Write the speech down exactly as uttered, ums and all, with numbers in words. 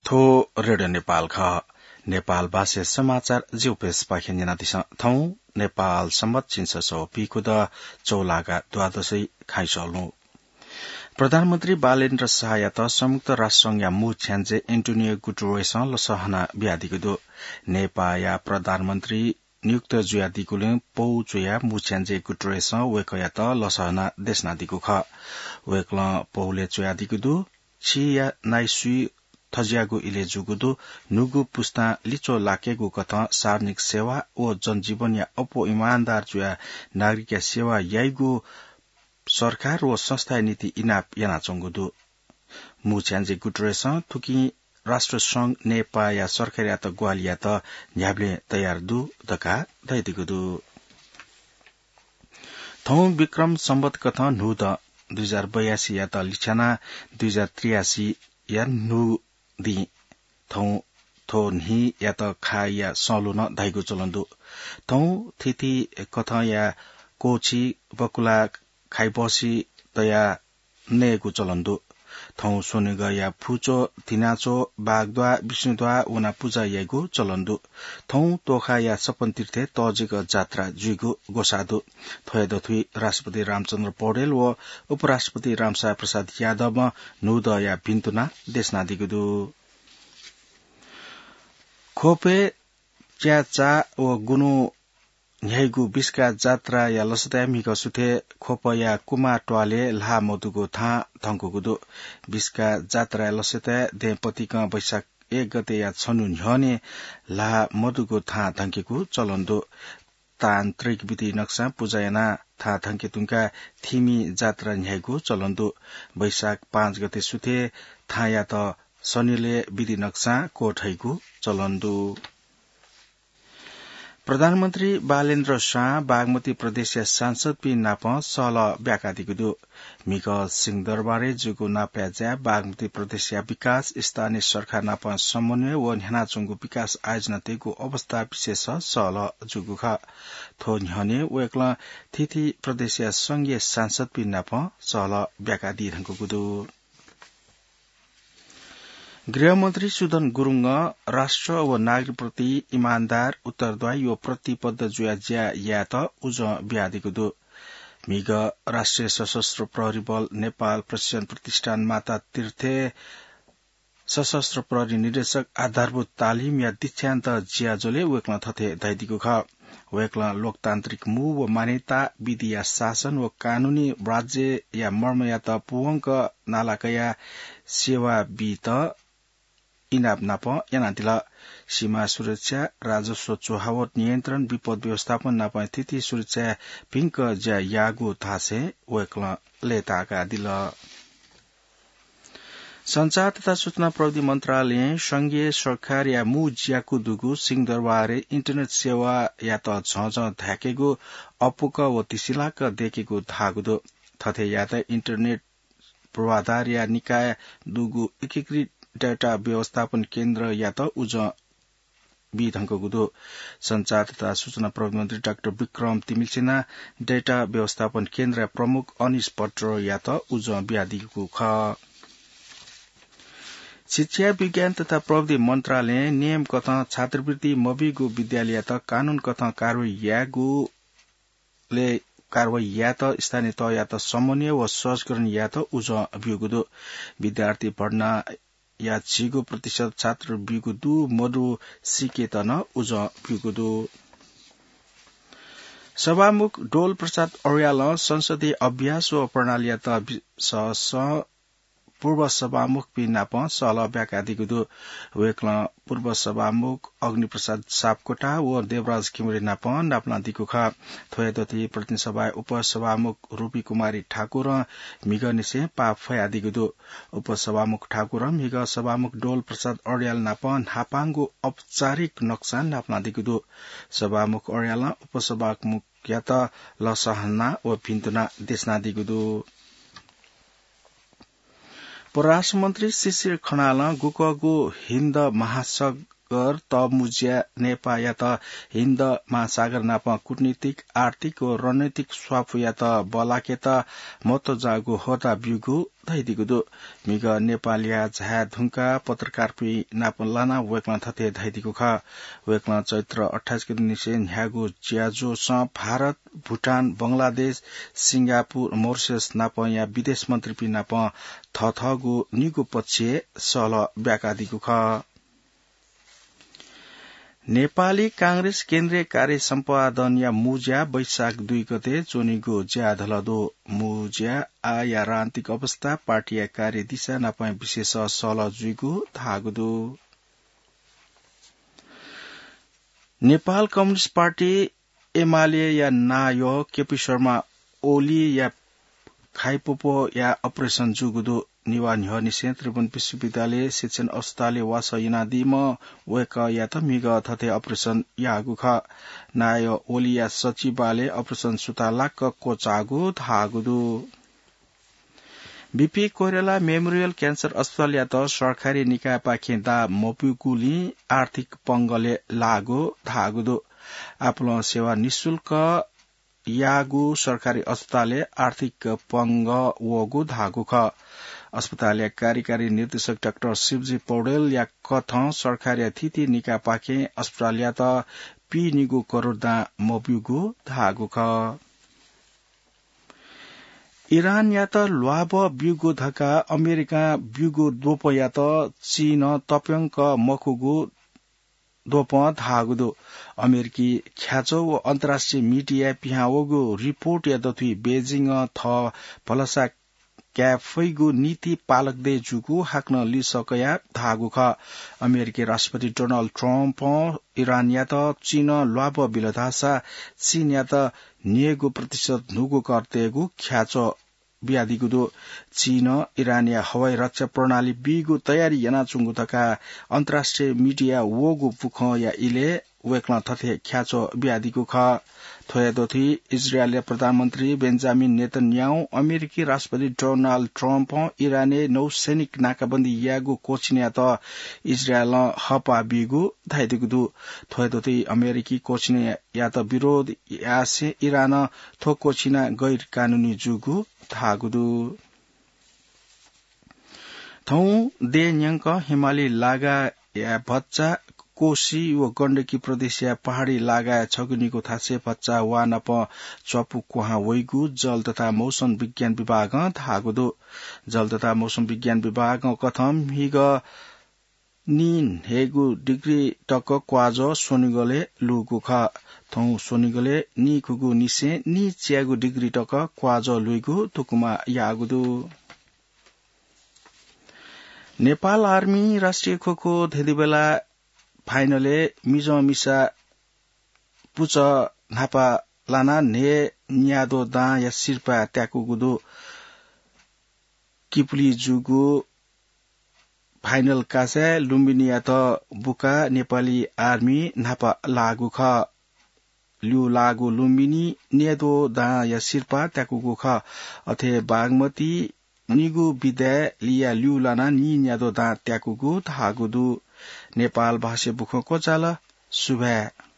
थ्व रेडियो नेपाल खः। नेपाल भाषा समाचार ज्यूपेसपाखें न्यनादिसँ। थौं नेपाल संवत झिंछसः व पीखुदँ चौलागा द्वादशी खँय् सःल्हू। प्रधानमन्त्री बालेन्द्र शाहयात संयुक्त राष्ट्र संघया मू छ्याञ्जे एन्टोनियो गुटरेसं लसः हना बियादीगु दु। नेपाःया प्रधानमन्त्री नियुक्त जुयादीगुलिं पौ च्वयाः मू छ्याञ्जे गुटरेसं वय्कःयात लसः हनाः देछानादीगु खः। वय्कलं पौलय् च्वयादीगु दु। छिया नाइसुइ थज्याःगु इलय् जूगु दु। न्हूगु पुस्तां लिच्वः लाकेगु कथं सार्वजनिक सेवा व जनजीवनया अप्वः इमानदार जुयाः नागरिकया सेवा याइगु सरकार व संस्थाया निंतिं इनाप यानाच्वंगु दु। मू छ्याञ्जे गुटरेसं थुकिं राष्ट्र संघ नेपाःया सरकारयात ग्वाहालि यायेत न्ह्याबलें तयार दु धकाः धयादीगु दु। थौं विक्रम संवत कथं न्हूदँ दुई हजार बयासीयात लिछ्यानाः दुई हजार त्रियासीया न्हू दिं थौं थ्व न्हियात खाःया सःल्हू नं धाइगु चलन दु। थौं थीथी कथंया क्वःछि, बकुला, खाइबहसि तयाः नयेगु चलन दु। थौं स्वनिगःया फुच्वः, धिनाच्वः, बाघद्वाः, विष्णुद्वाः वनाः पुजा याइगु चलन दु। थौं तोखाया सपन तीर्थय् तःजिक जात्रा जुइगु ग्वसाः दु। थ्वया दथुइ राष्ट्रपति रामचन्द्र पौडेल व उपराष्ट्रपति रामसाय प्रसाद यादवं न्हूदँया भिन्तुना देछानादीगु दु। ख्वपय् च्याचा व गुन्हु न्ह्याइगु बिस्का जात्राया लसताय् म्हिगः सुथय् ख्वपया कुमाः त्वालय् ल्हाः मदुगु थां धंकूगु दु। बिस्का जात्राया लसताय् दँय्‌पतिकं वैशाख एक गतेया छन्हु न्ह्यःने ल्हाः मदुगु थां धंकेगु चलन दु। तान्त्रिक विधि नक्सां पुजा यानाः थां धंके धुंकाः थिमि जात्रा न्ह्याइगु चलन दु। वैशाख पाँच गते सुथय् थांयात सनिलय् विधि नक्सां क्वथइगु चलन दु। प्रधानमन्त्री बालेन्द्र शाहं बागमती प्रदेशया सांसदपिं नाप सहलह ब्याकादीगु दु। म्हिगः सिंहदरबारय् जूगु नापया ज्याय् बागमती प्रदेशया विकास, स्थानीय सरकार नाप समन्वय व न्ह्यानाच्वंगु विकास आयोजनातय्‌गु अवस्था विशेष सहलह जूगु खः। थ्व न्ह्यःने वय्‌कलं थीथी प्रदेशया संघीय सांसदपिं नाप सहलह ब्याकादी धुंकूगु दु। गृहमन्त्री सुदन गुरुङं राष्ट्र व नागरिकप्रति इमानदार, उत्तरदायी व प्रतिबद्ध जुयाः ज्या यायेत उजं बियादीगु दु। म्हिगः राष्ट्रिय सशस्त्र प्रहरी बल नेपाल प्रशिक्षण प्रतिष्ठान माता तीर्थय् सशस्त्र प्रहरी निर्देशक आधारभूत तालिमया दीक्षान्त ज्याझ्वलय् वय्‌कलं थथे धयादीगु खः। वय्‌कलं लोकतान्त्रिक मू व मान्यता, विधिया शासन व कानूनी राज्यया मर्मयात पूवंक नाला कयाः सेवा बीत इनाप नाप यानादिल। सीमा सुरक्षा, राजस्व चुहावट नियन्त्रण, विपद व्यवस्थापन नाप थीथी सुरक्षाय् भिंक ज्या याःगु धासें वय्‌कलं लय्‌ताय्‌कादिल। सञ्चार तथा सूचना प्रविधि मन्त्रालयं संघीय सरकारया मू ज्याकू दुगु सिंहदरबारय् इन्टरनेट सेवायात झःझः धाय्‌केगु अपुक व तिसिलाक दय्‌केगु धाःगु दु। थथे यायेत इन्टरनेट पूर्वाधारया निकायं दुगु एकीकृत डेटा व्यवस्थापन केन्द्रयात उजं बी धुंकूगु दु। सञ्चार तथा सूचना प्रविधि मन्त्री डाक्टर विक्रम तिमिल्सिनां डेटा व्यवस्थापन केन्द्रया प्रमुख अनिश भट्टराईयात उजं बियादीगु खः। शिक्षा, विज्ञान तथा प्रविधि मन्त्रालयं नियम कथं छात्रवृत्ति मबीगु विद्यालययात कानून कथं कारवाही यायेगु ले कारवाही यायेत स्थानीय तहयात समन्वय व सहजीकरण यायेत उजं ब्यूगु दु। विद्यार्थी भर्नाया झिगू प्रतिशत छात्र ब्यूगु दु, मदु सीकेत नं उजं ब्यूगु दु। सभामुख डोल प्रसाद अर्यालं संसदीय अभ्यास व प्रणालीयात विशेष पूर्व सभामुखपिं नाप सहलह ब्याकादीगु दु। वय्‌कलं पूर्व सभामुख अग्निप्रसाद सापकोटा व देवराज खिमरे नाप नापलादीगु खः। थ्वया दथुइ प्रतिनिधि सभाया उपसभामुख रूपी कुमारी ठाकुरं म्हिगःनिसें पाः फ्वयादीगु दु। उपसभामुख ठाकुरं म्हिगः सभामुख डोल प्रसाद अर्याल नाप न्हापांगु औपचारिक नक्सा नापलादीगु दु। सभामुख अर्यालं उपसभामुखयात लसः हना व भिन्तुना देछानादीगु दु। परराष्ट्र मन्त्री शिशिर खनालं गुकःगु हिन्द महासाग-, गर तःमुँज्या नेपाःयात हिन्द महासागर नाप कूटनीतिक, आर्थिक व रणनीतिक स्वापुयात बलाकेत महत्व जाःगु होदा ब्यूगु धयादीगु दु। म्हिगः नेपालया झाये धुंकाः पत्रकारपिं नाप लानाः वय्कलं थथे धयादीगु खः। वय्कलं चैत्र अट्ठाइस गते निसें न्ह्याःगु ज्याझ्वलय् भारत, भुटान, बंगलादेश, सिंगापुर, मरिशस नापया विदेश मन्त्रीपिं नाप थःथःगु निगू पक्षय् सहलह ब्याकादीगु खः। नेपाली कांग्रेस केन्द्रीय कार्य सम्पादनया मुँज्या वैशाख दुई गते च्वनीगु ज्याधल दु। मुँज्याय् आःया राजनीतिक अवस्था, पार्टीया कार्यदिशा नापं विशेष सहलह जुइगु धाःगु दु। नेपाल कम्युनिस्ट पार्टी एमालेया नायः केपी शर्मा ओलीया खाइपोपोया अपरेसन जूगु दु। नेवाः न्ह्यःनिसें त्रिभुवन विश्वविद्यालय शिक्षण अस्पतालय् वासः यानादीम्ह वय्कःयात म्हिगः थथे अपरेसन याःगु खः। नायः ओलीया सचिवालयय् अपरेसन सुथांलाक क्वचाःगु धाःगु दु। बीपी कोइराला मेमोरियल क्यान्सर अस्पतालयात सरकारी निकायपाखें दाः मब्यूगुलिं आर्थिक पंगलय् लाःगु धाःगु दु। आपालं सेवा निशुल्क याःगु सरकारी अस्पतालय् आर्थिक पंगः वःगु धाःगु खः। अस्पतालया कार्यकारी निर्देशक डाक्टर शिवजी पौडेलया कथं सरकारया थीथी निकायपाखें अस्पतालयात पीनिगू करोड दां मब्यूगु धाःगु खः। इरानयात ल्वाभः ब्यूगु धकाः अमेरिकां ब्यूगु द्वपंयात चीनं तप्यंक मखुगु द्वपं धाःगु दु। अमेरिकी ख्याच्वः व अन्तर्राष्ट्रिय मिडियाय् पिहां वःगु रिपोर्टया दथुइ बेजिङं थः भलसा काये फइगु नीति पालक दये जूगु हाकनं लिसः कयाः धाःगु खः। अमेरिकी राष्ट्रपति डोनाल्ड ट्रम्पं इरानयात चीनं ल्वाभः बिल धाःसा चीनयात न्हय्गू प्रतिशत न्हूगु कर तयेगु ख्याच्वः बियादीगु दु। चीनं इरानया हवाई रक्षा प्रणाली बीगु तयारी यानाच्वंगु धकाः अन्तर्राष्ट्रिय मिडियाय् वःगु बुखँया इलय् वय्कलं थथे ख्याच्वः बियादीगु खः। थ्वया दथुइ इजरायलया प्रधानमन्त्री बेन्जामिन नेतन्याहुं अमेरिकी राष्ट्रपति डोनाल्ड ट्रम्पं इरानय् नौसैनिक नाकाबन्दी यायेगु क्वःछिनयात इजरायलं हःपाः बीगु धयादीगु दु। थ्वया दथुइ अमेरिकी क्वःछिनयात विरोध यासें इरानं थ्व क्वःछिना गैर कानूनी जूगु धाःगु दु। थौं देय् न्यंक हिमाली लागाया भचा, कोशी व गण्डकी प्रदेशया पहाडी लागाया छगू निगू थासय् भचा वा नाप च्वापु क्वहां वइगु जल तथा मौसम विज्ञान विभागं धाःगु दु। जल तथा मौसम विज्ञान विभागं कथं म्हिगः नीन्हय्गू डिग्री तक क्वाजः स्वनिगलय् लूगु खः। थौं स्वनिगलय् नीखुगू निसें नीच्यागू डिग्री तक क्वाजः लुइगु धुकुमा याःगु दु। नेपाल आर्मी राष्ट्रिय खोखो धेंधुबेला फाइनलय् मिजं मिसा पुचः न्हापा लानाः न्हय् न्याद्वः दांया सिरपाः त्याकूगु दु। किपुली जूगु फाइनल कासाय् लुम्बिनीयात बुकाः नेपाली आर्मी न्हापा लाःगु खः। ल्यू लाःगु लुम्बिनी न्याद्वः दांया सिरपाः त्याकूगु खः। अथे बागमती निगू विदाय् लिया ल्यू लानाः नीन्याद्वः दां त्याकूगु धाःगु दु। नेपाल भाषाय् बुखँ क्वचाल। सुभाय्।